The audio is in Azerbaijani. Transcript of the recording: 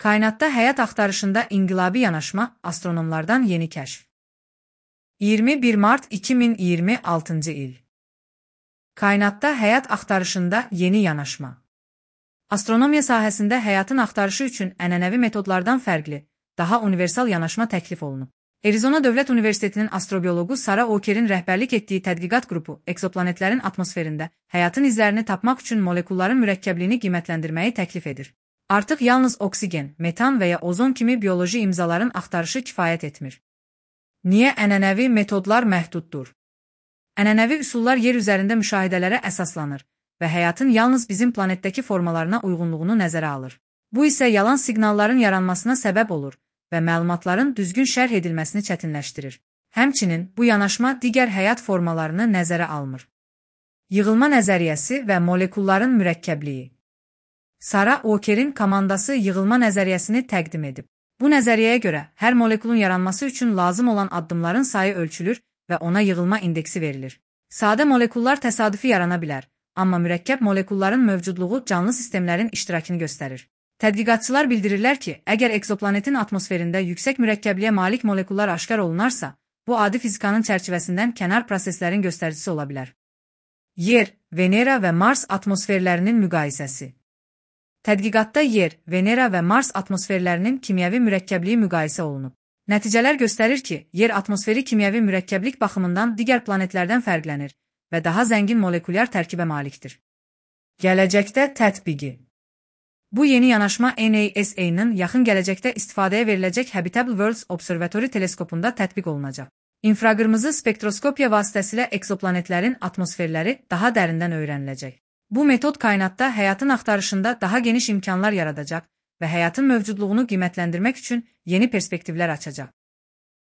Kainatda həyat axtarışında inqilabi yanaşma, astronomlardan yeni kəşf. 21 Mart 2026 il. Kainatda həyat axtarışında yeni yanaşma. Astronomiya sahəsində həyatın axtarışı üçün ənənəvi metodlardan fərqli, daha universal yanaşma təklif olunub. Arizona Dövlət Universitetinin astrobiologu Sara Okerin rəhbərlik etdiyi tədqiqat qrupu ekzoplanetlərin atmosferində həyatın izlərini tapmaq üçün molekulların mürəkkəbliyini qiymətləndirməyi təklif edir. Artıq yalnız oksigen, metan və ya ozon kimi bioloji imzaların axtarışı kifayət etmir. Niyə ənənəvi metodlar məhduddur? Ənənəvi üsullar yer üzərində müşahidələrə əsaslanır və həyatın yalnız bizim planetdəki formalarına uyğunluğunu nəzərə alır. Bu isə yalan siqnalların yaranmasına səbəb olur və məlumatların düzgün şərh edilməsini çətinləşdirir. Həmçinin bu yanaşma digər həyat formalarını nəzərə almır. Yığılma nəzəriyyəsi və molekulların mürəkkəbliyi. Sara Okerin komandası yığılma nəzəriyyəsini təqdim edib. Bu nəzəriyyəyə görə hər molekulun yaranması üçün lazım olan addımların sayı ölçülür və ona yığılma indeksi verilir. Sadə molekullar təsadüfi yarana bilər, amma mürəkkəb molekulların mövcudluğu canlı sistemlərin iştirakını göstərir. Tədqiqatçılar bildirirlər ki, əgər ekzoplanetin atmosferində yüksək mürəkkəbliyə malik molekullar aşkar olunarsa, bu adi fizikanın çərçivəsindən kənar proseslərin göstəricisi ola bilər. Yer, Venera və Mars atmosferlərinin müqayisəsi. Tədqiqatda Yer, Venera və Mars atmosferlərinin kimyəvi mürəkkəbliyi müqayisə olunub. Nəticələr göstərir ki, Yer atmosferi kimyəvi mürəkkəblik baxımından digər planetlərdən fərqlənir və daha zəngin molekulyar tərkibə malikdir. Gələcəkdə tətbiqi. Bu yeni yanaşma NASA-nın yaxın gələcəkdə istifadəyə veriləcək Habitable Worlds Observatory teleskopunda tətbiq olunacaq. İnfraqırmızı spektroskopiya vasitəsilə ekzoplanetlərin atmosferləri daha dərindən öyrəniləcək. Bu metod kainatda həyatın axtarışında daha geniş imkanlar yaradacaq və həyatın mövcudluğunu qiymətləndirmək üçün yeni perspektivlər açacaq.